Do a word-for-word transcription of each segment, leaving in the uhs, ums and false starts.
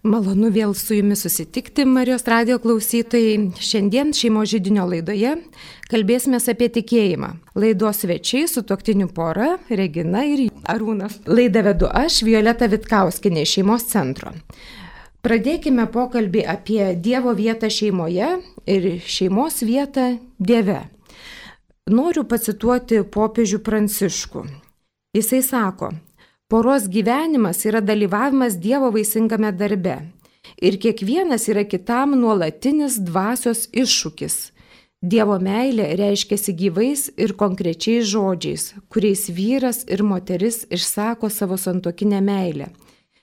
Malonu vėl su jumis susitikti, Marijos radijo klausytojai. Šiandien šeimos židinio laidoje kalbėsime apie tikėjimą. Laidos svečiai sutuoktinių pora Regina ir Arūnas. Laidą vedu aš, Violeta Vitkauskinė iš šeimos centro. Pradėkime pokalbį apie Dievo vietą šeimoje ir šeimos vietą Dieve. Noriu pacituoti popiežių Pranciškų. Jisai sako: poros gyvenimas yra dalyvavimas Dievo vaisingame darbe ir kiekvienas yra kitam nuolatinis dvasios iššūkis. Dievo meilė reiškiasi gyvais ir konkrečiais žodžiais, kuriais vyras ir moteris išsako savo santuokinę meilę.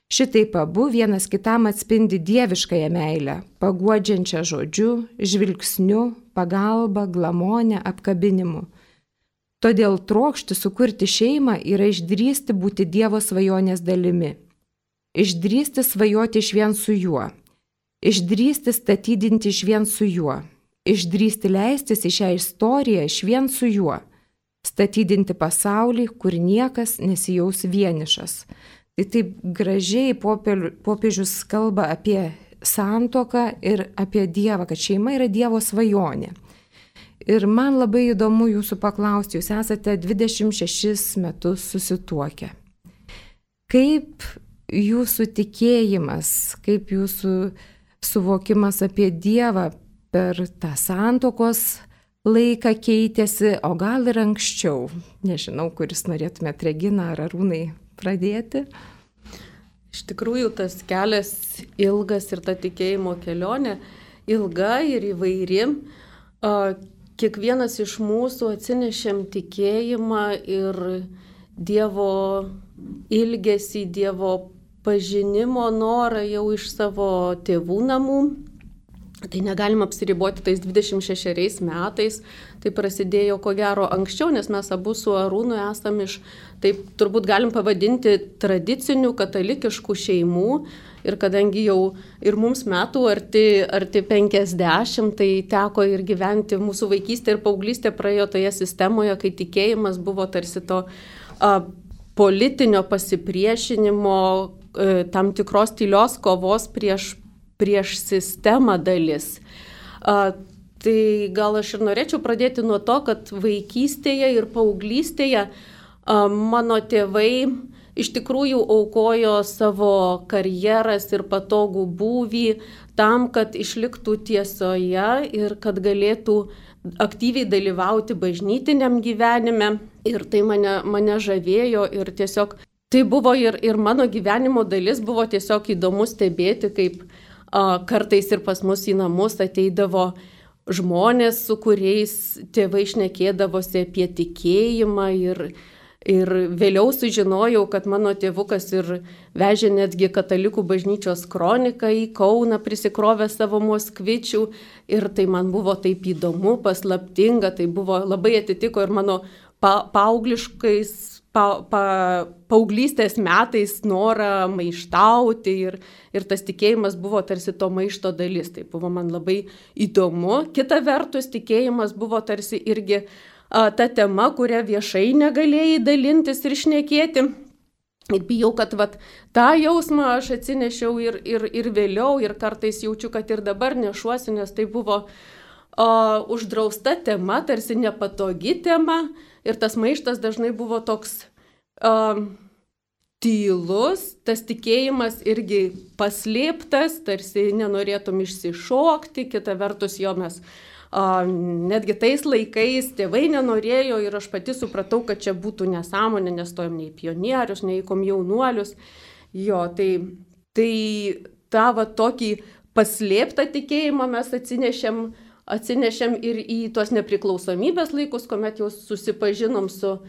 Šitaip abu vienas kitam atspindi dieviškąją meilę, paguodžiančią žodžiu, žvilgsniu, pagalba, glamonę, apkabinimu. Todėl trokšti sukurti šeimą yra išdrįsti būti Dievo svajonės dalimi. Išdrįsti svajoti išvien su juo. Išdrįsti statydinti išvien su juo. Išdrįsti leistis į šią istoriją išvien su juo. Statydinti pasaulį, kur niekas nesijaus vienišas. Tai taip gražiai popiežius kalba apie santuoką ir apie Dievą, kad šeima yra Dievo svajonė. Ir man labai įdomu jūsų paklausti, jūs esate dvidešimt šešis metus susituokę. Kaip jūsų tikėjimas, kaip jūsų suvokimas apie Dievą per tą santuokos laiką keitėsi, o gal ir anksčiau? Nežinau, kuris norėtumėt, Regina ar Arūnai, pradėti. Iš tikrųjų, tas kelias ilgas ir ta tikėjimo kelionė ilga ir įvairi. Kiekvienas iš mūsų atsinešėm tikėjimą ir Dievo ilgesį, Dievo pažinimo norą jau iš savo tėvų namų. Tai negalim apsiriboti tais dvidešimt šešeriais metais. Tai prasidėjo ko gero anksčiau, nes mes abu su Arūnu esam iš, taip turbūt galim pavadinti, tradicinių katalikiškų šeimų. Ir kadangi jau ir mums metų arti, arti penkiasdešimt, tai teko ir gyventi, mūsų vaikystė ir paauglystė praėjo toje sistemoje, kai tikėjimas buvo tarsi to a, politinio pasipriešinimo, a, tam tikros tylios kovos prieš, prieš sistemą dalis. A, tai gal aš ir norėčiau pradėti nuo to, kad vaikystėje ir paauglystėje a, mano tėvai iš tikrųjų aukojo savo karjeras ir patogų būvį tam, kad išliktų tiesoje ir kad galėtų aktyviai dalyvauti bažnytiniam gyvenime. Ir tai mane, mane žavėjo ir tiesiog tai buvo ir, ir mano gyvenimo dalis, buvo tiesiog įdomu stebėti, kaip a, kartais ir pas mus į namus ateidavo žmonės, su kuriais tėvai šnekėdavosi apie tikėjimą ir Ir vėliau sužinojau, kad mano tėvukas ir vežė netgi katalikų bažnyčios kroniką į Kauną, prisikrovė savo moskvičių. Ir tai man buvo taip įdomu, paslaptinga, tai buvo labai atitiko ir mano pa, paaugliškais, pa, pa, paauglystės metais norą maištauti. Ir, ir tas tikėjimas buvo tarsi to maišto dalis. Tai buvo man labai įdomu. Kita vertus, tikėjimas buvo tarsi irgi ta tema, kurią viešai negalėjai dalintis ir šnekėti. Ir bijau, kad vat, tą jausmą aš atsinešiau ir, ir, ir vėliau, ir kartais jaučiu, kad ir dabar nešuosi, nes tai buvo o, uždrausta tema, tarsi nepatogi tema. Ir tas maištas dažnai buvo toks o, tylus, tas tikėjimas irgi paslėptas, tarsi nenorėtum išsišokti, kita vertus jo mes Uh, netgi tais laikais tėvai nenorėjo ir aš pati supratau, kad čia būtų nesąmonė, nestojom nei pionierius, nei komjaunuolius. Jo, tai, tai tą va tokį paslėptą tikėjimą mes atsinešėm, atsinešėm ir į tuos nepriklausomybės laikus, kuomet jau susipažinom su,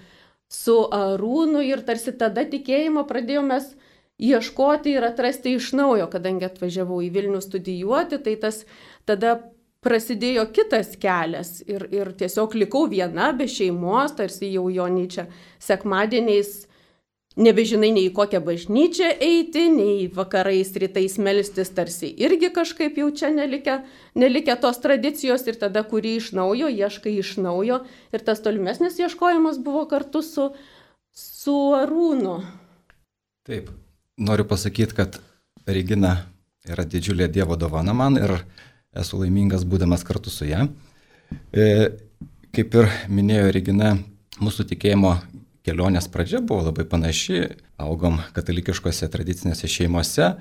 su Arūnu ir tarsi tada tikėjimo pradėjom mes ieškoti ir atrasti iš naujo, kadangi atvažiavau į Vilnių studijuoti, tai tas tada prasidėjo kitas kelias ir, ir tiesiog likau viena be šeimos, tarsi jau jo nei čia sekmadieniais nebežinai nei į kokią bažnyčią eiti, nei vakarais rytais melstis, tarsi irgi kažkaip jau čia nelikę, nelikę tos tradicijos ir tada kurį iš naujo, ieškai iš naujo ir tas tolimesnis ieškojimas buvo kartu su, su Arūnu. Taip, noriu pasakyti, kad Regina yra didžiulė Dievo dovana man ir esu laimingas būdamas kartu su ją. E, kaip ir minėjo Regina, mūsų tikėjimo kelionės pradžia buvo labai panaši, augom katalikiškose tradicinėse šeimose,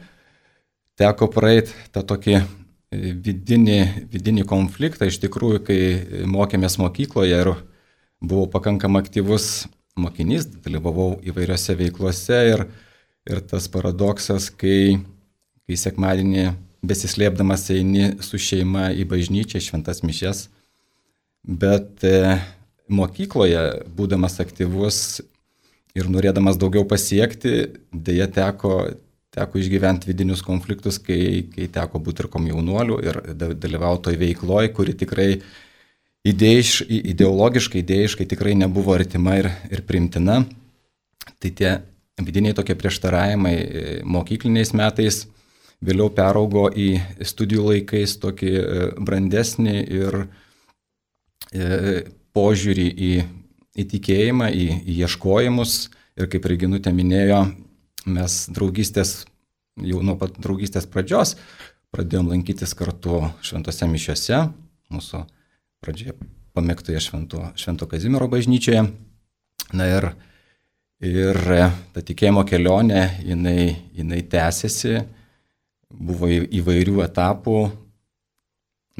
teko praeiti tą tokį vidinį, vidinį konfliktą, iš tikrųjų, kai mokėmės mokykloje ir buvau pakankamai aktyvus mokinys, dalyvavau įvairiose veiklose ir, ir tas paradoksas, kai, kai sekmadienį besislėpdamas eini su šeima į bažnyčią, šventas mišias, bet e, mokykloje, būdamas aktyvus ir norėdamas daugiau pasiekti, dėja teko, teko išgyventi vidinius konfliktus, kai, kai teko būti ir komjaunuoliu ir dalyvauti toj veikloj, kuri tikrai idėjiš, ideologiškai, idėjiškai tikrai nebuvo artima ir, ir primtina. Tai tie vidiniai tokie prieštaravimai mokykliniais metais vėliau peraugo į studijų laikais tokį brandesnį ir e, požiūrį į, į tikėjimą, į, į ieškojimus. Ir kaip Reginutė minėjo, mes draugystės, jau nuo pat draugystės pradžios pradėjom lankytis kartu šventose mišiose, mūsų pradžioje pamėgtoje švento, švento Kazimiero bažnyčioje. Na ir, ir ta tikėjimo kelionė, jinai, jinai tęsiasi, buvo įvairių etapų,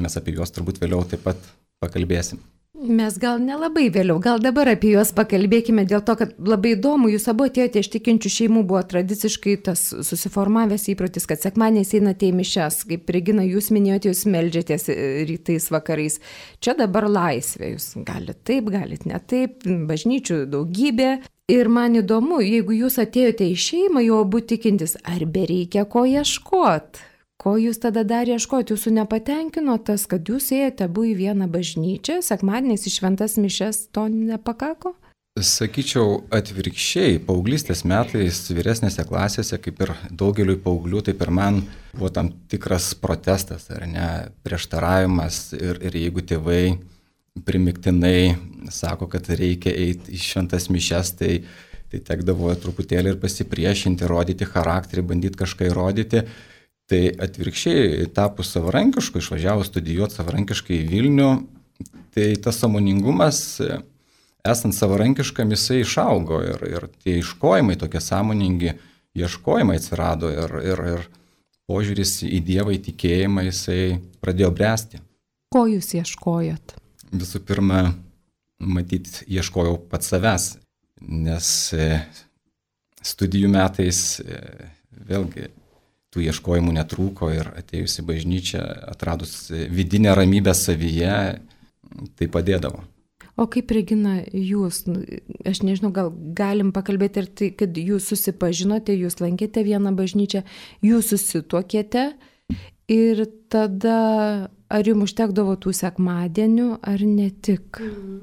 mes apie juos turbūt vėliau taip pat pakalbėsim. Mes gal nelabai vėliau, gal dabar apie juos pakalbėkime, dėl to, kad labai įdomu, jūs abu atėjote iš tikinčių šeimų, buvo tradiciškai tas susiformavęs įprotis, kad sekmadieniais einate į mišias, kaip Regina, jūs minėjote, jūs meldžiatės rytais, vakarais. Čia dabar laisvė, jūs galite taip, galite ne taip, bažnyčių daugybė. Ir man įdomu, jeigu jūs atėjote į šeimą, jau abu tikintis, ar bereikia ko ieškoti? Ko jūs tada dar ieškoti? Jūsų nepatenkino tas, kad jūs ėjote abu į vieną bažnyčią, sekmadieniais į šventas mišias, to nepakako? Sakyčiau atvirkščiai, paauglystės metais vyresnėse klasėse, kaip ir daugeliui paauglių, taip ir man buvo tam tikras protestas, ar ne, prieštaravimas ir, ir jeigu tėvai primiktinai sako, kad reikia eiti į šventas mišias, tai, tai tekdavo truputėlį ir pasipriešinti, rodyti charakterį, bandyti kažką įrodyti. Tai atvirkščiai, tapus savarankišku, išvažiavus studijuoti savarankiškai į Vilnių, tai tas sąmoningumas, esant savarankiškam, jisai išaugo ir, ir tie ieškojimai, tokie sąmoningi ieškojimai atsirado ir, ir, ir požiūris į Dievą, į tikėjimą, jisai pradėjo bręsti. Ko jūs ieškojot? Visų pirma, matyt, ieškojau pats savęs, nes studijų metais vėlgi tų ieškojimų netrūko ir atėjus į bažnyčią, atradus vidinę ramybę savyje, tai padėdavo. O kaip, Regina, jūs, aš nežinau, gal galim pakalbėti ir tai, kad jūs susipažinote, jūs lankėte vieną bažnyčią, jūs susituokėte ir tada ar jums užtekdavo tų sekmadienių, ar ne tik? Mhm.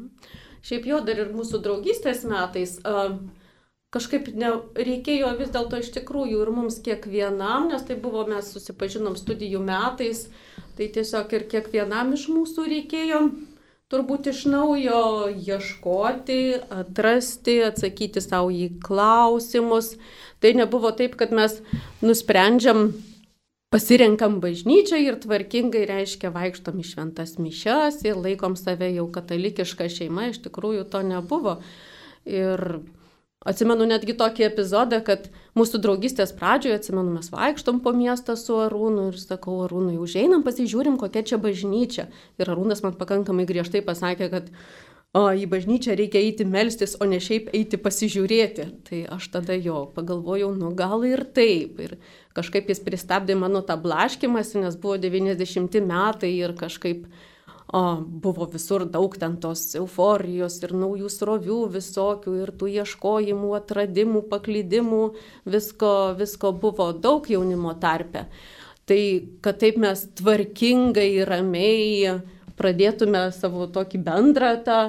Šiaip jau dar ir mūsų draugystės metais uh, kažkaip ne, reikėjo vis dėlto iš tikrųjų ir mums kiekvienam, nes tai buvo, mes susipažinom studijų metais, tai tiesiog ir kiekvienam iš mūsų reikėjo turbūt iš naujo ieškoti, atrasti, atsakyti savo į klausimus. Tai nebuvo taip, kad mes nusprendžiam, pasirenkam bažnyčią ir tvarkingai, reiškia, vaikštom į šventas mišias ir laikom save jau katalikišką šeimą, iš tikrųjų to nebuvo. Ir atsimenu netgi tokį epizodą, kad mūsų draugystės pradžioje, atsimenu, mes vaikštom po miestą su Arūnu ir sakau, Arūnui, užeinam, pasižiūrim, kokia čia bažnyčia. Ir Arūnas man pakankamai griežtai pasakė, kad o, į bažnyčią reikia eiti melstis, o ne šiaip eiti pasižiūrėti. Tai aš tada jo pagalvojau, nu gal ir taip. Ir kažkaip jis pristabdė mano tą blaškimąsi, nes buvo devyniasdešimti metai ir kažkaip O, buvo visur daug ten tos euforijos ir naujų srovių visokių ir tų ieškojimų, atradimų, paklydimų, visko, visko buvo daug jaunimo tarpe. Tai kad taip mes tvarkingai, ramiai pradėtume savo tokį bendrą, tą,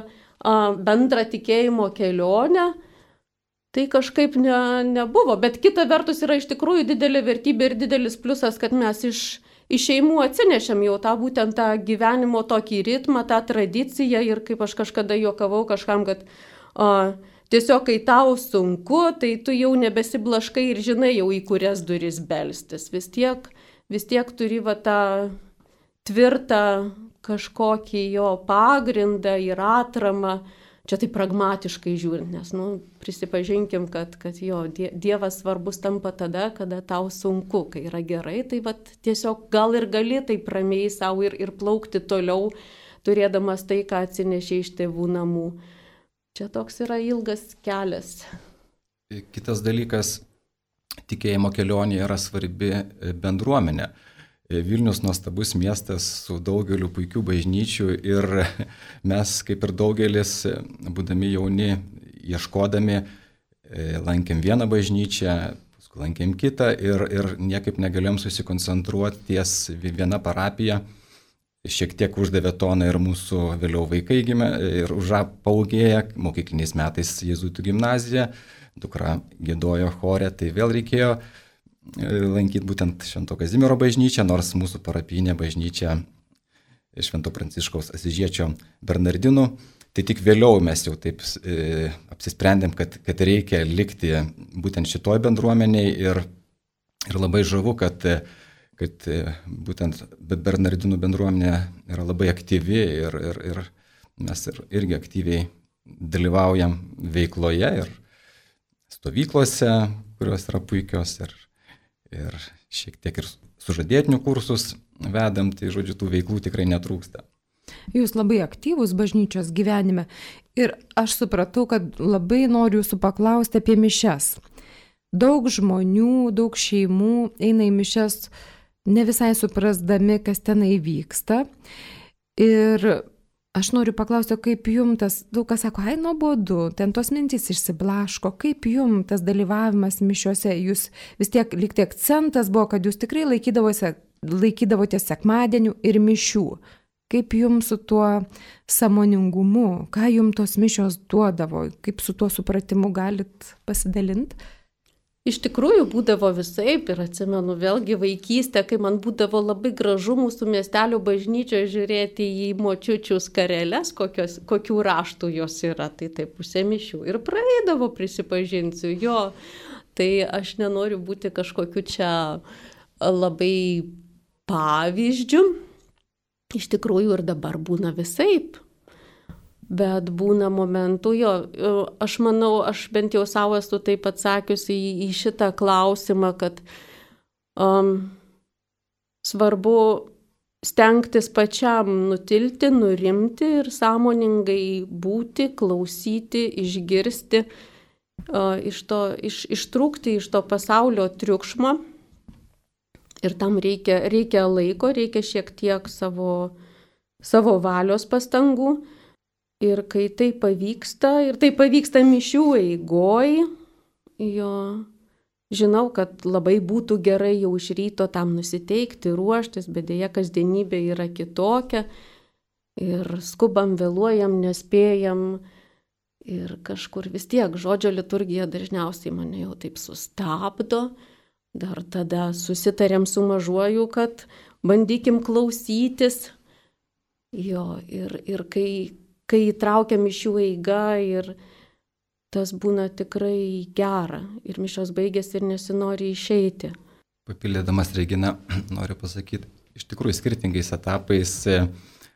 bendrą tikėjimo kelionę, tai kažkaip ne, nebuvo. Bet kita vertus yra iš tikrųjų didelė vertybė ir didelis pliusas, kad mes iš Iš šeimų atsinešėm jau tą būtent tą gyvenimo tokį ritmą, tą tradiciją ir kaip aš kažkada juokavau kažkam, kad o, tiesiog kai tau sunku, tai tu jau nebesiblaškai ir žinai jau į kurias duris belstis. Vis tiek vis tiek turi va tą tvirtą kažkokį jo pagrindą ir atramą. Čia tai pragmatiškai žiūrint, nes, nu, prisipažinkim, kad, kad jo, Dievas svarbus tampa tada, kada tau sunku, kai yra gerai, tai vat, tiesiog gal ir gali taip ramiai savo ir, ir plaukti toliau, turėdamas tai, ką atsinešė iš tėvų namų. Čia toks yra ilgas kelias. Kitas dalykas, tikėjimo kelionė yra svarbi bendruomenė. Vilnius nuostabus miestas su daugeliu puikių bažnyčių ir mes, kaip ir daugelis, būdami jauni, ieškodami, lankėm vieną bažnyčią, paskui lankėm kitą ir, ir niekaip negalėjom susikoncentruoti ties viena parapija. Šiek tiek uždavė toną ir mūsų vėliau vaikai gimė ir užapaugėję, mokykliniais metais Jėzuitų gimnazija, dukra giedojo chore, tai vėl reikėjo lankyti būtent Švento Kazimiero bažnyčią, nors mūsų parapinė bažnyčia Švento Pranciškaus Asyžiečio Bernardinų. Tai tik vėliau mes jau taip e, apsisprendėm, kad, kad reikia likti būtent šitoj bendruomeniai ir, ir labai žavu, kad, kad būtent Bernardinų bendruomenė yra labai aktyvi ir, ir, ir mes ir, irgi aktyviai dalyvaujam veikloje ir stovyklose, kurios yra puikios ir ir šiek tiek ir sužadėtinių kursus vedam, tai žodžiu, tų veiklų tikrai netrūksta. Jūs labai aktyvūs bažnyčios gyvenime ir aš supratau, kad labai noriu jūsų paklausti apie mišias. Daug žmonių, daug šeimų eina į mišias ne visai suprasdami, kas tenai vyksta. Ir aš noriu paklausti, kaip jums tas, daug kas sako, ai nuobodu, ten tos mintys išsiblaško, kaip jums tas dalyvavimas mišiuose, jūs vis tiek likti akcentas buvo, kad jūs tikrai laikydavote, laikydavote sekmadienių ir mišių. Kaip jums su tuo sąmoningumu, ką jums tos mišios duodavo, kaip su tuo supratimu galit pasidalinti? Iš tikrųjų būdavo visaip ir atsimenu vėlgi vaikystę, kai man būdavo labai gražu mūsų miestelio bažnyčioje žiūrėti į močiučių skareles, kokios, kokių raštų jos yra, tai taip pusė mišių ir praeidavo, prisipažinsiu, jo, tai aš nenoriu būti kažkokiu čia labai pavyzdžiu, iš tikrųjų ir dabar būna visaip. Bet būna momentų, jo, aš manau, aš bent jau savo esu taip atsakiusi į, į šitą klausimą, kad um, svarbu stengtis pačiam nutilti, nurimti ir sąmoningai būti, klausyti, išgirsti, uh, iš to, iš, ištrūkti iš to pasaulio triukšmo. Ir tam reikia, reikia laiko, reikia šiek tiek savo, savo valios pastangų. Ir kai tai pavyksta, ir tai pavyksta mišių eigoj, jo, žinau, kad labai būtų gerai jau iš ryto tam nusiteikti, ruoštis, bet dėja kasdienybė yra kitokia ir skubam, vėluojam, nespėjam ir kažkur vis tiek žodžio liturgija dažniausiai mane jau taip sustabdo, dar tada susitarėm su mažuoju, kad bandykim klausytis, jo, ir, ir kai kai įtraukiam mišių eigą ir tas būna tikrai gera ir mišios baigėsi ir nesinori išeiti. Papildėdamas Regina, noriu pasakyti, iš tikrųjų skirtingais etapais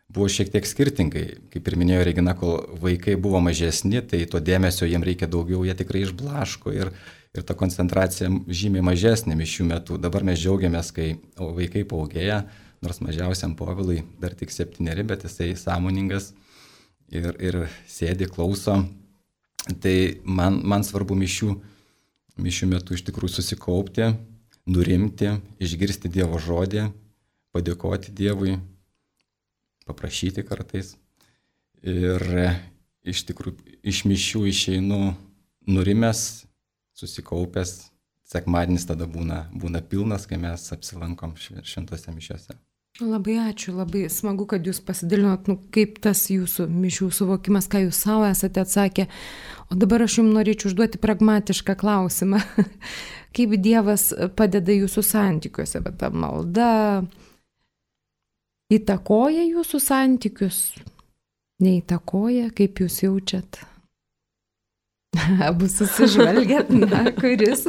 buvo šiek tiek skirtingai. Kaip ir minėjo Regina, kol vaikai buvo mažesni, tai to dėmesio jiems reikia daugiau, jie tikrai išblaško ir, ir ta koncentracija žymiai mažesnė mišių metu. Dabar mes džiaugiamės, kai vaikai paugėja, nors mažiausiam Povilui dar tik septyneri, bet jisai sąmoningas. Ir, ir sėdi, klauso. Tai man, man svarbu mišių, mišių metu iš tikrųjų susikaupti, nurimti, išgirsti Dievo žodį, padėkoti Dievui, paprašyti kartais. Ir iš tikrųjų iš mišių išeinu nurimęs, susikaupęs. Sekmadienis tada būna, būna pilnas, kai mes apsilankom šventose mišiose. Labai ačiū, labai smagu, kad jūs pasidalinot, nu, kaip tas jūsų mišių suvokimas, ką jūs savo esate atsakę. O dabar aš jums norėčiau užduoti pragmatišką klausimą. Kaip Dievas padeda jūsų santykiuose, bet ta malda įtakoja jūsų santykius? Neįtakoja, kaip jūs jaučiat? Abu susižvelgiat, na, kuris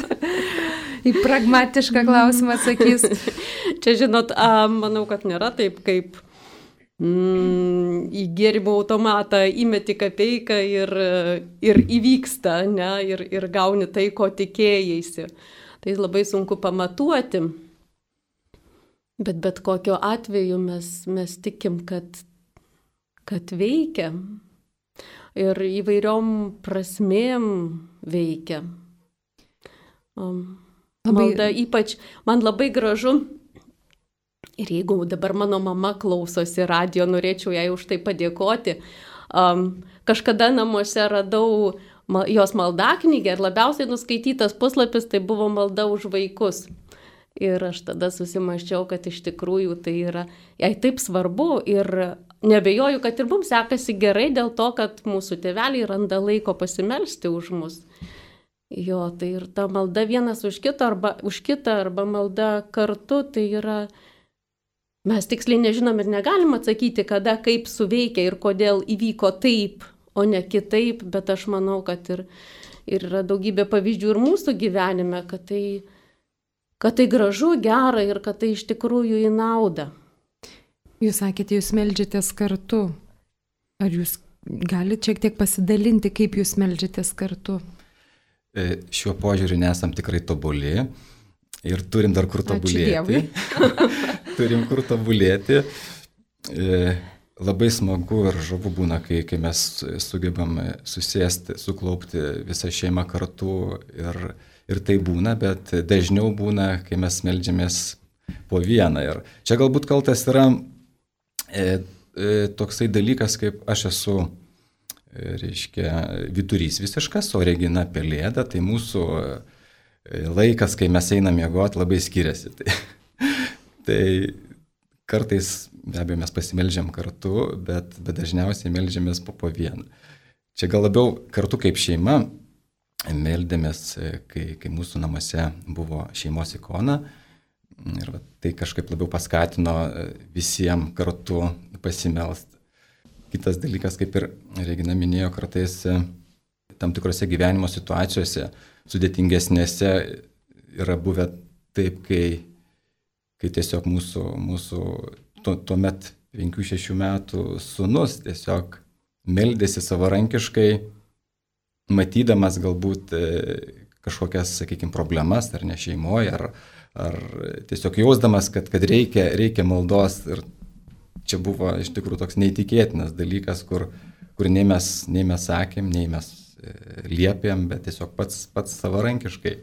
į pragmatišką klausimą atsakys. Čia, žinot, a, manau, kad nėra taip, kaip mm, į gėrimo automatą įmeti kapeiką ir, ir įvyksta, ne, ir, ir gauni tai, ko tikėjaisi. Tai labai sunku pamatuoti. Bet bet kokiu atveju mes, mes tikim, kad, kad veikia. Ir įvairiom prasmėm veikia. Um, labai... Malda ypač, man labai gražu. Ir jeigu dabar mano mama klausosi radijo, norėčiau jai už tai padėkoti. Um, kažkada namuose radau ma, jos maldaknygę ir labiausiai nuskaitytas puslapis tai buvo malda už vaikus. Ir aš tada susimaščiau, kad iš tikrųjų tai yra jai taip svarbu ir nebejoju, kad ir mums sekasi gerai dėl to, kad mūsų tėveliai randa laiko pasimelsti už mus. Jo, tai ir ta malda vienas už kitą arba, už kitą arba malda kartu, tai yra, mes tiksliai nežinom ir negalim atsakyti, kada, kaip suveikia ir kodėl įvyko taip, o ne kitaip, bet aš manau, kad ir, ir yra daugybė pavyzdžių ir mūsų gyvenime, kad tai kad tai gražu, gera ir kad tai iš tikrųjų į naudą. Jūs sakėte, jūs meldžiatės kartu. Ar jūs galite šiek tiek pasidalinti, kaip jūs meldžiatės kartu? E, šiuo požiūriu nesam tikrai tobuli ir turim dar kur tobulėti. Turim kur tobulėti. E, labai smagu ir žavu būna, kai, kai mes sugebam susėsti, suklaupti visą šeimą kartu ir Ir tai būna, bet dažniau būna, kai mes meldžiamės po vieną. Ir čia galbūt kaltas yra e, e, toksai dalykas, kaip aš esu, e, reiškia, vidurys visiškas, o Regina pelėda, tai mūsų e, laikas, kai mes einam miegoti, labai skiriasi. Tai, tai kartais, be abejo, mes pasimeldžiam kartu, bet, bet dažniausiai meldžiamės po, po vieną. Čia gal labiau kartu kaip šeima. Meldėmės, kai, kai mūsų namuose buvo šeimos ikona ir va, tai kažkaip labiau paskatino visiems kartu pasimelsti. Kitas dalykas, kaip ir Regina minėjo, kartais tam tikrose gyvenimo situacijose sudėtingesnėse yra buvę taip, kai, kai tiesiog mūsų, mūsų tuo, tuomet penkių šešių metų sūnus tiesiog meldėsi savarankiškai, matydamas galbūt kažkokias, sakykime, problemas, ar ne šeimoje, ar, ar tiesiog jausdamas, kad, kad reikia, reikia maldos. Ir čia buvo iš tikrųjų toks neįtikėtinas dalykas, kur, kur nei mes, nei mes sakėm, nei mes liepėm, bet tiesiog pats, pats savarankiškai.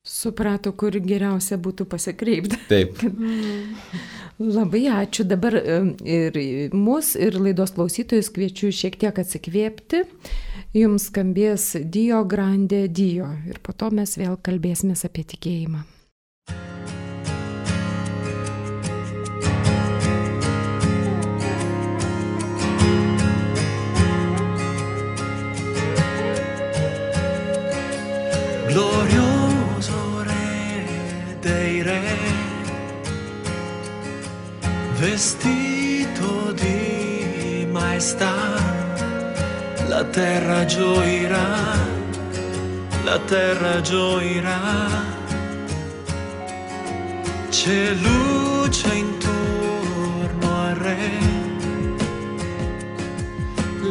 Suprato, kur geriausia būtų pasikreipti. Taip. Labai ačiū. Dabar ir mus, ir laidos klausytojus kviečiu šiek tiek atsikvėpti. Jums skambės Dio Grande Dio ir po to mes vėl kalbėsimės apie tikėjimą. Glorioso Re dei Re, vestito di maestà, la terra gioirà, la terra gioirà, c'è luce intorno al Re,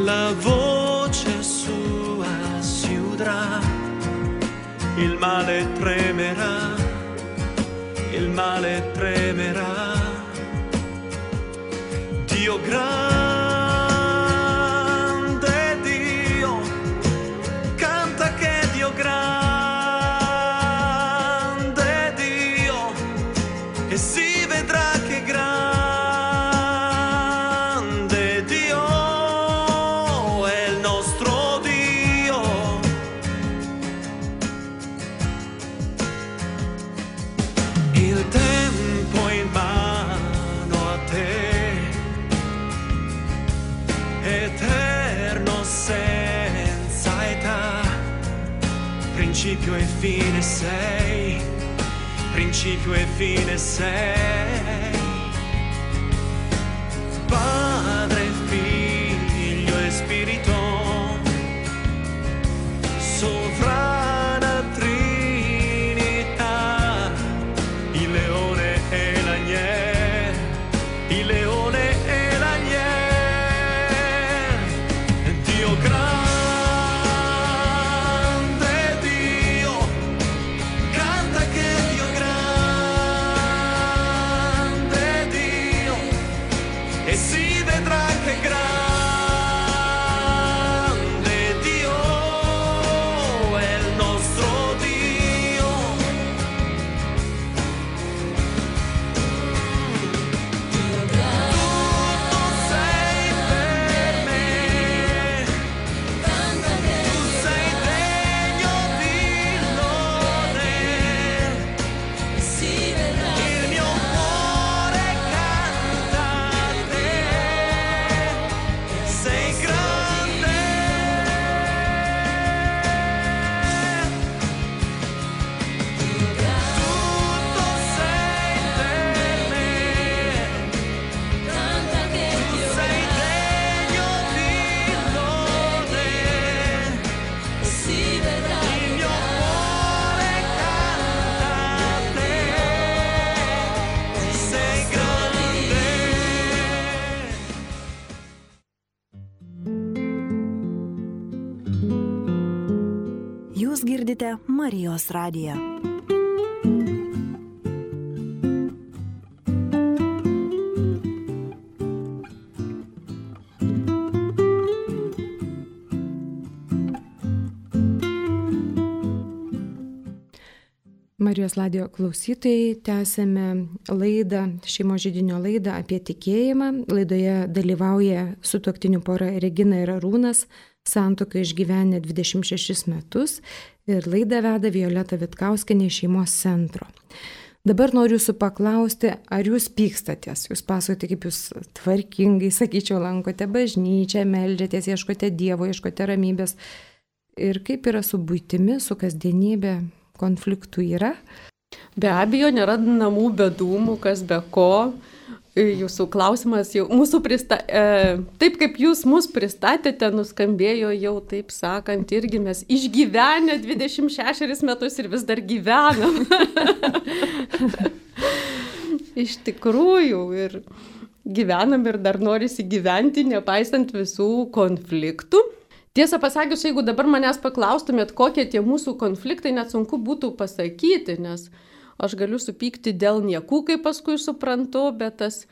la voce sua si udrà, il male tremerà, il male tremerà, Dio grande. Principio e fine sei, principio e fine sei, Padre, Figlio e Spirito, sovrana Trinità, il leone e girdite Marijos radiją. Marijos radijo klausytojai, tęsėme laidą, šeimos židinio laidą apie tikėjimą. Laidoje dalyvauja sutuoktinių pora Regina ir Arūnas, santuoką išgyvenę dvidešimt šešis metus, ir laidą veda Violeta Vitkauskienė iš šeimos centro. Dabar noriu jūsų paklausti, ar jūs pykstatės? Jūs pasakote, kaip jūs tvarkingai, sakyčiau, lankote bažnyčią, meldžiatės, ieškote Dievo, ieškote ramybės. Ir kaip yra su buitimi, su kasdienybė? Konfliktų yra? Be abejo, nėra namų be dūmų, kas be ko. Jūsų klausimas jau mūsų prista... E, taip kaip jūs mus pristatėte, nuskambėjo jau, taip sakant, irgi mes išgyvenę dvidešimt šešerius metus ir vis dar gyvenam. Iš tikrųjų, ir gyvenam ir dar norisi gyventi, nepaisant visų konfliktų. Tiesą pasakius, jeigu dabar manęs paklaustumėt, kokie tie mūsų konfliktai, net sunku būtų pasakyti, nes aš galiu supykti dėl niekų, kaip paskui suprantu, bet tas,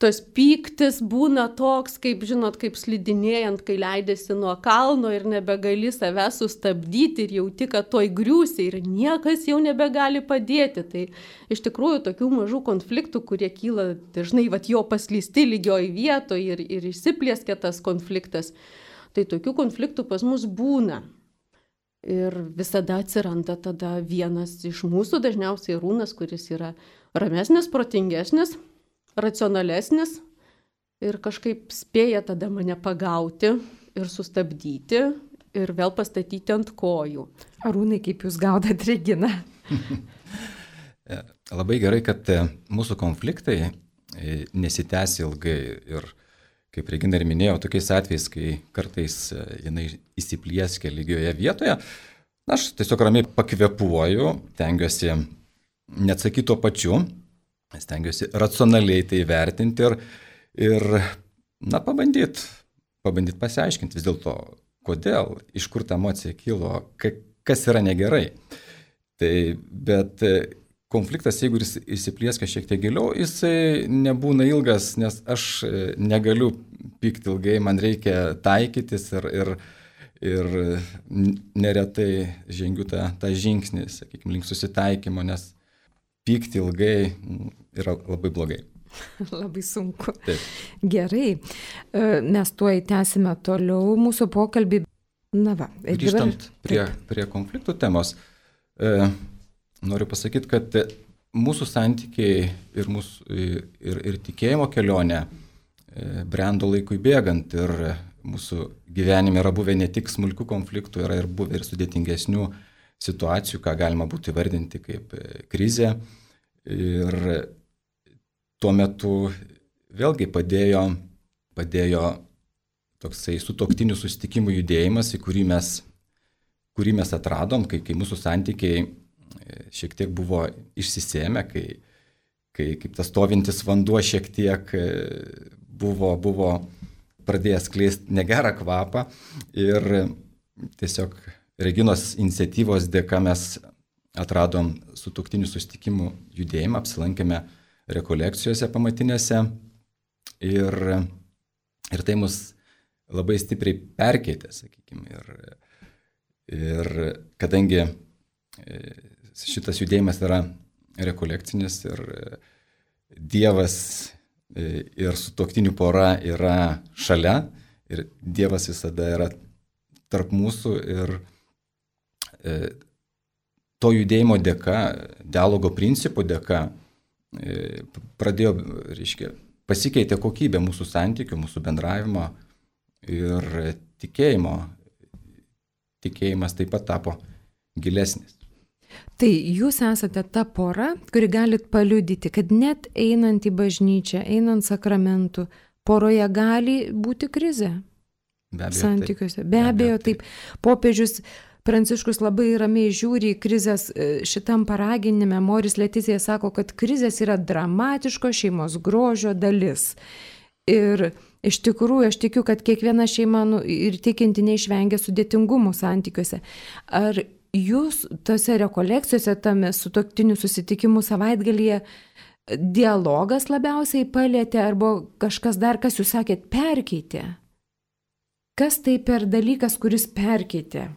tas pyktis būna toks, kaip, žinot, kaip slidinėjant, kai leidėsi nuo kalno ir nebegali save sustabdyti ir jauti, kad toj griūsi ir niekas jau nebegali padėti. Tai iš tikrųjų tokių mažų konfliktų, kurie kyla dažnai vat, jo paslysti lygioj vietoje ir, ir išsiplėskia tas konfliktas. Tai tokių konfliktų pas mus būna. Ir visada atsiranda tada vienas iš mūsų, dažniausiai Arūnas, kuris yra ramesnis, protingesnis, racionalesnis ir kažkaip spėja tada mane pagauti ir sustabdyti ir vėl pastatyti ant kojų. Arūnai, kaip jūs gaudat Reginą? Labai gerai, kad mūsų konfliktai nesitęs ilgai ir kaip Regina ir minėjo, tokiais atvejais, kai kartais jinai įsiplieskia lygioje vietoje, aš tiesiog ramiai pakvepuoju, tengiuosi neatsakyti tuo pačiu, stengiuosi racionaliai tai vertinti ir, ir na, pabandyti, pabandyti pasiaiškinti vis dėlto, kodėl, iš kur ta emocija kilo, kas yra negerai. Tai, bet konfliktas, jeigu jis įsiplieska šiek tiek giliau, jisai nebūna ilgas, nes aš negaliu pykti ilgai, man reikia taikytis ir, ir, ir neretai žengiu tą, tą žingsnį, sakykime, link susitaikymo, nes pykti ilgai yra labai blogai. Labai sunku. Taip. Gerai, mes tuoj tęsime toliau mūsų pokalbį. Na va. Grįžtant dabar... prie, prie konfliktų temos, e, noriu pasakyti, kad mūsų santykiai ir, mūsų, ir, ir tikėjimo kelionė brendo laikui bėgant ir mūsų gyvenime yra buvę ne tik smulkių konfliktų, yra ir buvę ir sudėtingesnių situacijų, ką galima būtų įvardinti kaip krizė. Ir tuo metu vėlgi padėjo, padėjo toksai sutuoktinių susitikimų judėjimas, į kurį mes, kurį mes atradom, kai, kai mūsų santykiai šiek tiek buvo išsisėmę, kai, kai kaip tas stovintis vanduo šiek tiek buvo, buvo pradėjęs skleisti negerą kvapą ir tiesiog Reginos iniciatyvos dėka mes atradom sutuoktinių susitikimų judėjimą, apsilankėme rekolekcijose pamatinėse ir, ir tai mus labai stipriai perkeitė, sakykime. Ir, ir kadangi šitas judėjimas yra rekolekcinis ir Dievas ir sutuoktinių pora yra šalia ir Dievas visada yra tarp mūsų ir to judėjimo dėka, dialogo principų dėka pradėjo, reiškia, pasikeitė kokybė mūsų santykių, mūsų bendravimo ir tikėjimo. Tikėjimas taip pat tapo gilesnis. Tai jūs esate ta pora, kuri galit paliudyti, kad net einant į bažnyčią, einant sakramentų, poroje gali būti krizė. Be abejo, santykiuose. taip. Be abejo, taip. Popiežius Pranciškus labai ramiai žiūri į krizės šitam paraginime. Moris Letizija sako, kad krizės yra dramatiško šeimos grožio dalis. Ir iš tikrųjų, aš tikiu, kad kiekviena šeima nu, ir tikinti neišvengia sudėtingumų santykiuose. Ar jūs tose rekolekcijose, tame sutuoktinių susitikimų savaitgalyje, dialogas labiausiai palėtė, arba kažkas dar, kas jūs sakėt, perkeitė? Kas tai per dalykas, kuris perkeitė?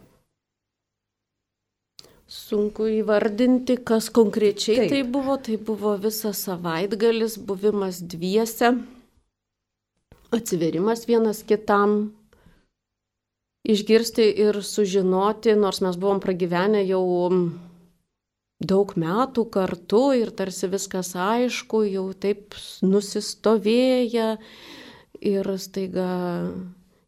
Sunku įvardinti, kas konkrečiai Taip. tai buvo. Tai buvo visas savaitgalis, buvimas dviese, atsiverimas vienas kitam, išgirsti ir sužinoti, nors mes buvom pragyvenę jau daug metų kartu ir tarsi viskas aišku, jau taip nusistovėję ir staiga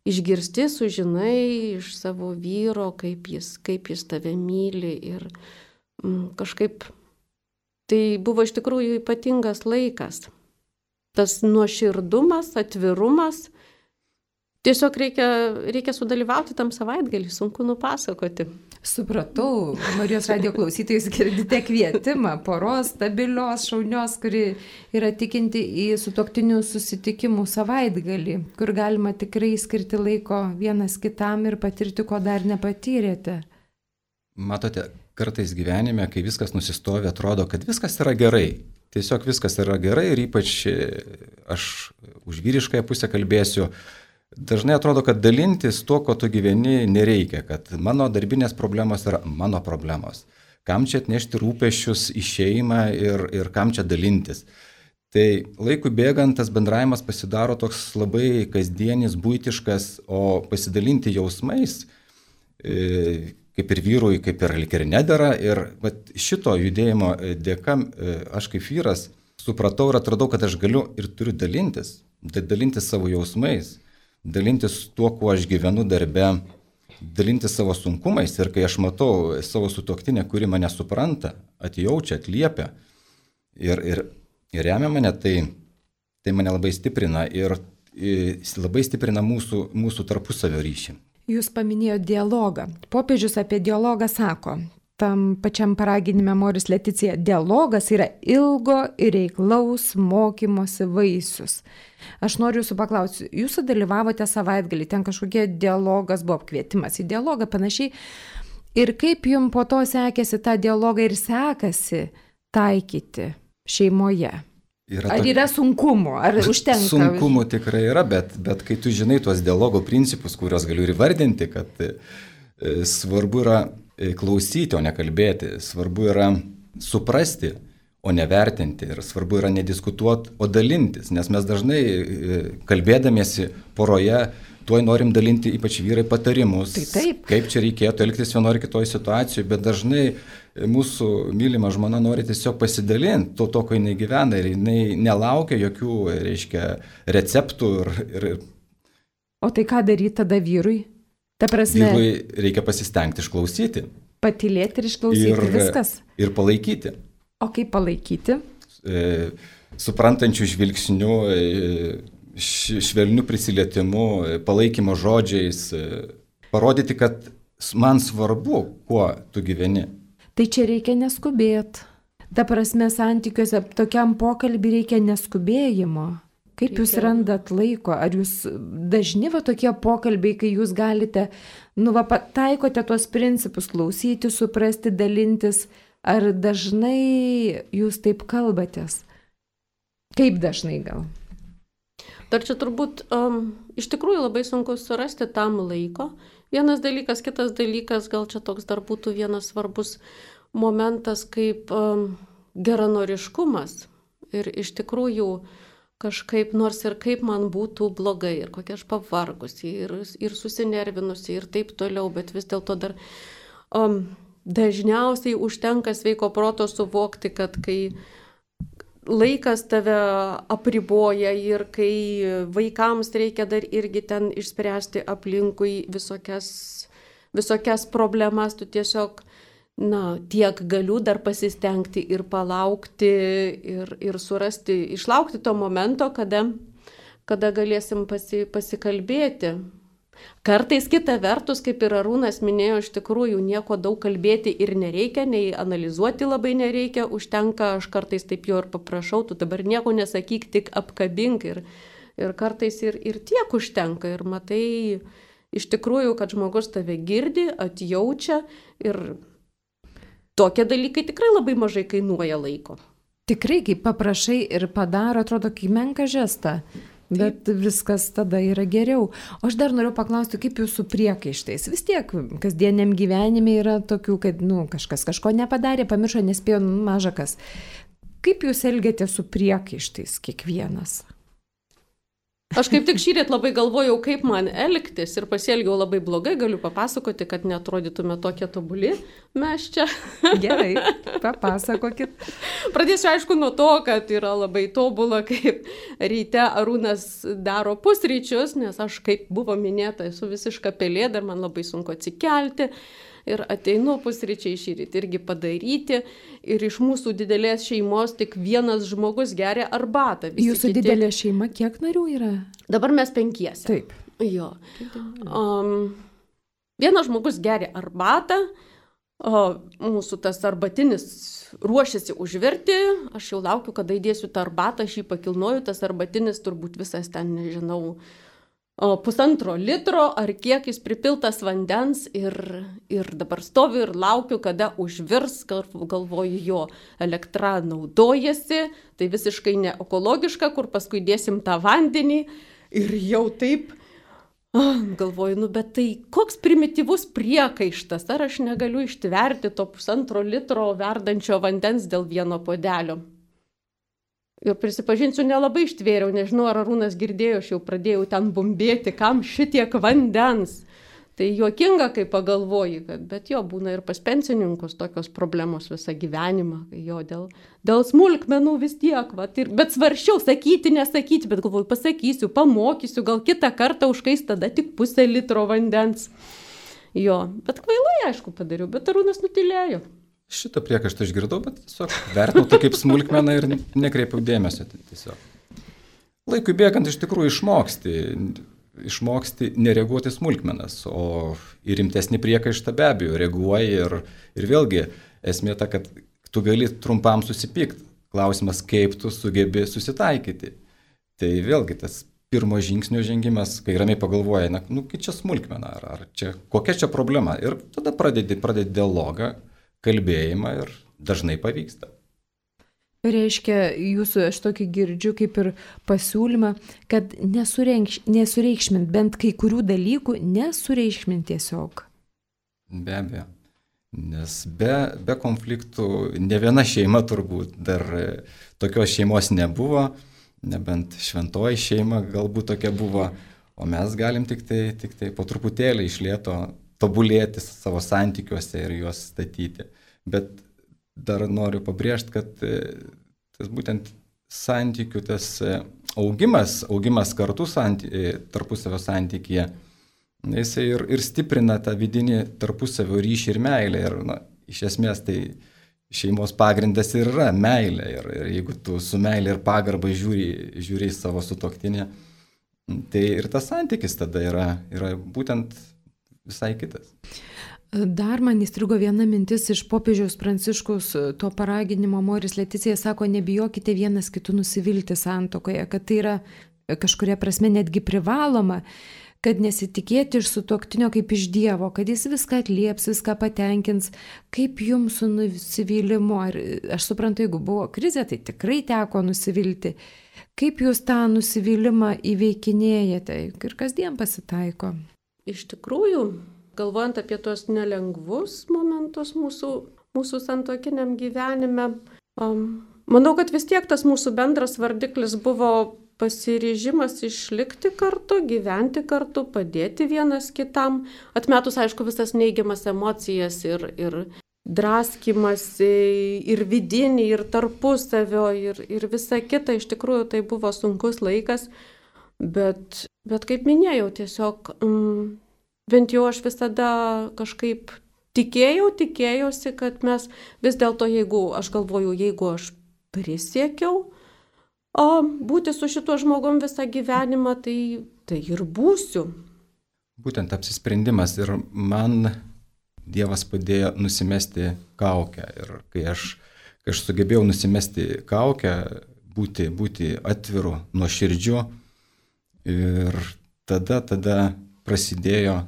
išgirsti, sužinai iš savo vyro, kaip jis, kaip jis tave myli ir mm, kažkaip tai buvo iš tikrųjų ypatingas laikas. Tas nuoširdumas, atvirumas, tiesiog reikia, reikia sudalyvauti tam savaitgalį, sunku nupasakoti. Supratau, Marijos radijo klausytojus girdite kvietimą poros stabilios, šaunios, kuri yra tikinti į sutuoktinių susitikimų savaitgalį, kur galima tikrai skirti laiko vienas kitam ir patirti, ko dar nepatyrėte. Matote, kartais gyvenime, kai viskas nusistovi, atrodo, kad viskas yra gerai. Tiesiog viskas yra gerai ir ypač aš už vyriškąją pusę kalbėsiu. Dažnai atrodo, kad dalintis tuo, ko tu gyveni, nereikia, kad mano darbinės problemos yra mano problemos. Kam čia atnešti rūpesčius į šeimą ir, ir kam čia dalintis. Tai laikui bėgant tas bendravimas pasidaro toks labai kasdienis, buitiškas, o pasidalinti jausmais, e, kaip ir vyrui, kaip ir lik ir nedera. Ir vat, šito judėjimo dėka aš kaip vyras supratau ir atradau, kad aš galiu ir turiu dalintis, dalintis savo jausmais, dalintis tuo, kuo aš gyvenu darbe, dalintis savo sunkumais. Ir kai aš matau savo sutuoktinę, kuri mane supranta, atjaučia, atliepia ir, ir, ir remia mane, tai, tai mane labai stiprina ir, ir labai stiprina mūsų, mūsų tarpusavio ryšį. Jūs paminėjote dialogą. Popiežius apie dialogą sako, tam pačiam paraginime Moris Leticija, dialogas yra ilgo ir reiklaus mokymosi vaisius. Aš noriu jūsų paklausti, jūs dalyvavote savaitgalį, ten kažkokie dialogas buvo, kvietimas į dialogą panašiai. Ir kaip jums po to sekėsi tą dialogą ir sekasi taikyti šeimoje? Yra ar yra sunkumų, ar užtenka? Sunkumų tikrai yra, bet, bet kai tu žinai tuos dialogo principus, kuriuos galiu ir įvardinti, kad e, svarbu yra klausyti, o ne kalbėti, svarbu yra suprasti, o ne vertinti, ir svarbu yra nediskutuoti, o dalintis, nes mes dažnai e, kalbėdamiesi poroje, tuoj norim dalinti, ypač vyrai, patarimus, tai taip. Kaip čia reikėtų elgtis vienoje ar kitoje situacijoje, bet dažnai mūsų mylima žmona nori tiesiog pasidalinti to, to, ko jinai gyvena ir jinai nelaukia jokių, reiškia, receptų. Ir, ir... O tai ką daryti tada vyrui? Ta prasme, vyrui reikia pasistengti išklausyti. Patylėti ir išklausyti, ir, viskas. Ir palaikyti. O kaip palaikyti? E, suprantančių žvilgsnių, e, švelnių prisilietimu, palaikymo žodžiais, parodyti, kad man svarbu, kuo tu gyveni. Tai čia reikia neskubėti. Ta prasme, santykiuose tokiam pokalbį reikia neskubėjimo. Kaip reikia. Jūs randat laiko? Ar jūs dažni va tokie pokalbiai, kai jūs galite, nu va, taikote tuos principus, klausyti, suprasti, dalintis, ar dažnai jūs taip kalbatės? Kaip dažnai gal? Dar čia turbūt um, iš tikrųjų labai sunku surasti tam laiko. Vienas dalykas, kitas dalykas, gal čia toks dar būtų vienas svarbus momentas kaip um, geranoriškumas. Ir iš tikrųjų kažkaip, nors ir kaip man būtų blogai, ir kokia aš pavargusi, ir, ir susinervinusi, ir taip toliau, bet vis dėlto dar um, dažniausiai užtenka sveiko proto suvokti, kad kai laikas tave apriboja ir kai vaikams reikia dar irgi ten išspręsti aplinkui visokias, visokias problemas, tu tiesiog, na, tiek galiu dar pasistengti ir palaukti ir, ir surasti, išlaukti to momento, kada, kada galėsim pasi, pasikalbėti. Kartais kita vertus, kaip ir Arūnas minėjo, iš tikrųjų nieko daug kalbėti ir nereikia, nei analizuoti labai nereikia, užtenka, aš kartais taip jo ir paprašau, tu dabar nieko nesakyk, tik apkabink ir, ir kartais ir, ir tiek užtenka ir matai iš tikrųjų, kad žmogus tave girdi, atjaučia ir tokie dalykai tikrai labai mažai kainuoja laiko. Tikrai, kai paprašai ir padaro, atrodo, kaip menka žesta. Bet Taip. Viskas tada yra geriau. O aš dar noriu paklausti, kaip jūs su priekaištais? Vis tiek kasdieniam gyvenime yra tokių, kad nu, kažkas kažko nepadarė, pamiršo, nespėjo, nu, maža kas. Kaip jūs elgiate su priekaištais kiekvienas? Aš kaip tik šįryt labai galvojau, kaip man elgtis ir pasielgiau labai blogai, galiu papasakoti, kad neatrodytume tokie tobuli mes čia. Gerai, papasakokit. Pradėsiu aišku nuo to, kad yra labai tobula, kaip ryte Arūnas daro pusryčius, nes aš, kaip buvo minėta, esu visiška pelėda ir man labai sunku atsikelti. Ir ateinu pusryčiai šįryt irgi padaryti. Ir iš mūsų didelės šeimos tik vienas žmogus geria arbatą. Visi Jūsų kiti... didelė šeima kiek narių yra? Dabar mes penkiese. Taip. Jo. Um, vienas žmogus geria arbatą, o mūsų tas arbatinis ruošiasi užvirti. Aš jau laukiu, kada įdėsiu tą arbatą, aš jį pakilnoju, tas arbatinis turbūt visas ten, nežinau, o pusantro litro ar kiek jis pripiltas vandens ir, ir dabar stoviu ir laukiu, kada užvirs, galvoju, jo elektra naudojasi, tai visiškai ne ekologiška, kur paskui dėsim tą vandenį ir jau taip, ah, galvoju, nu bet tai koks primityvus priekaištas, ar aš negaliu ištverti to pusantro litro verdančio vandens dėl vieno puodelio. Ir prisipažinsiu, nelabai ištvėriau, nežinau, ar Arūnas girdėjo, aš jau pradėjau ten bumbėti, kam šitiek vandens. Tai juokinga, kai pagalvoji, kad, bet jo, būna ir pas pensininkus tokios problemos visą gyvenimą, jo, dėl, dėl smulkmenų vis tiek, va, ir, bet svaršiau sakyti, nesakyti, bet galvoju, pasakysiu, pamokysiu, gal kitą kartą užkais tada tik pusę litro vandens. Jo, bet kvailai, aišku, padariau, bet Arūnas nutilėjo. Šitą priekaištą išgirdau, bet tiesiog vertinau tai kaip smulkmeną ir nekreipiau dėmesio. Tiesiog. Laikui bėgant iš tikrųjų išmoksti, išmoksti nereaguoti smulkmenas, o į rimtesnį priekaištą be abejo reaguoji ir, ir vėlgi esmė ta, kad tu gali trumpam susipykti. Klausimas, kaip tu sugebi susitaikyti. Tai vėlgi tas pirmo žingsnio žengimas, kai ramiai pagalvoji, na, nu, kai čia smulkmena, ar, ar čia, kokia čia problema. Ir tada pradedi, pradedi dialogą, kalbėjimą ir dažnai pavyksta. Reiškia, jūsų aš tokį girdžiu kaip ir pasiūlymą, kad nesureikšmint, bent kai kurių dalykų nesureikšmint tiesiog. Be abejo, nes be, be konfliktų ne viena šeima turbūt dar tokios šeimos nebuvo, nebent šventoji šeima galbūt tokia buvo, o mes galim tik tai, tik tai po truputėlį iš lėto tobulėti savo santykiuose ir juos statyti. Bet dar noriu pabrėžti, kad tas būtent santykių, tas augimas, augimas kartu santy, tarpusavio santykyje, jisai ir, ir stiprina tą vidinį tarpusavio ryšį ir meilę. Ir na, iš esmės tai šeimos pagrindas ir yra meilė. Ir, ir jeigu tu su meilė ir pagarba žiūri, žiūri į savo sutuoktinį, tai ir tas santykis tada yra, yra būtent visai kitas. Dar man įstrigo viena mintis iš popiežiaus Pranciškaus to paraginimo. Moris Leticija sako, nebijokite vienas kitų nusivilti santuokoje, kad tai yra kažkuria prasme netgi privaloma, kad nesitikėti iš sutuoktinio kaip iš Dievo, kad jis viską atlieps, viską patenkins, kaip jums su nusivylimu. Ar, aš suprantu, jeigu buvo krizė, tai tikrai teko nusivilti. Kaip jūs tą nusivylimą įveikinėjate ir kasdien pasitaiko? Iš tikrųjų, galvojant apie tos nelengvus momentus mūsų, mūsų santuokiniam gyvenime, um, manau, kad vis tiek tas mūsų bendras vardiklis buvo pasiryžimas išlikti kartu, gyventi kartu, padėti vienas kitam, atmetus, aišku, visas neigiamas emocijas ir, ir draskymasi, ir vidinį, ir tarpusavio, ir, ir visa kita. Iš tikrųjų, tai buvo sunkus laikas. Bet, bet kaip minėjau, tiesiog mm, bent jau aš visada kažkaip tikėjau, tikėjausi, kad mes vis dėlto, jeigu aš galvoju, jeigu aš prisiekiau o, būti su šituo žmogum visą gyvenimą, tai, tai ir būsiu. Būtent apsisprendimas ir man Dievas padėjo nusimesti kaukę. Ir kai aš, kai aš sugebėjau nusimesti kaukę, būti, būti atviru, nuoširdžiu, ir tada, tada prasidėjo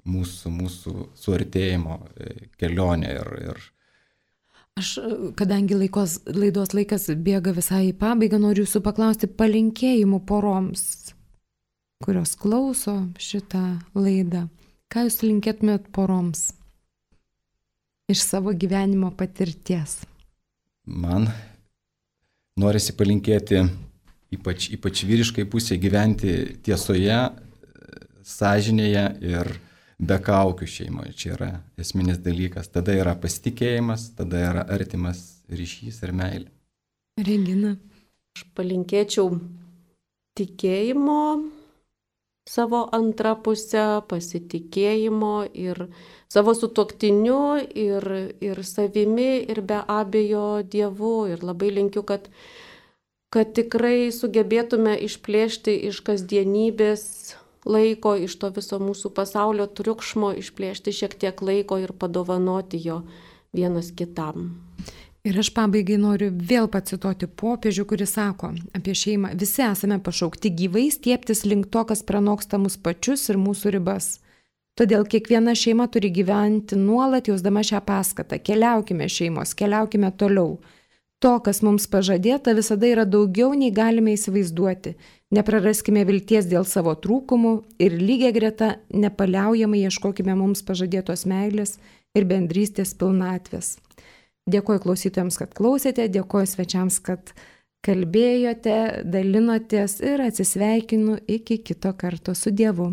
mūsų, mūsų suartėjimo kelionė ir, ir Aš, kadangi laikos, laidos laikas bėga visai į pabaigą, noriu jūsų paklausti palinkėjimų poroms, kurios klauso šitą laidą. Ką jūs linkėtumėt poroms iš savo gyvenimo patirties? Man norisi palinkėti ypač, ypač vyriškai pusė gyventi tiesoje, sąžinėje ir be kaukių šeimoje. Čia yra esminis dalykas. Tada yra pasitikėjimas, tada yra artimas ryšys ir meilė. Regina. Aš palinkėčiau tikėjimo savo antrą pusę, pasitikėjimo ir savo sutuoktiniu, ir, ir savimi, ir be abejo Dievu. Ir labai linkiu, kad, kad tikrai sugebėtume išplėšti iš kasdienybės laiko, iš to viso mūsų pasaulio triukšmo, išplėšti šiek tiek laiko ir padovanoti jo vienas kitam. Ir aš pabaigai noriu vėl pacituoti popiežių, kuris sako apie šeimą: visi esame pašaukti gyvai stiebtis link to, kas pranoksta mus pačius ir mūsų ribas. Todėl kiekviena šeima turi gyventi nuolat jausdama šią paskatą. Keliaukime šeimos, keliaukime toliau. To, kas mums pažadėta, visada yra daugiau, nei galime įsivaizduoti. Nepraraskime vilties dėl savo trūkumų ir lygiai greta nepaliaujamai ieškokime mums pažadėtos meilės ir bendrystės pilnatvės. Dėkoju klausytojams, kad klausėte, dėkoju svečiams, kad kalbėjote, dalinotės ir atsisveikinu iki kito karto. Su Dievu.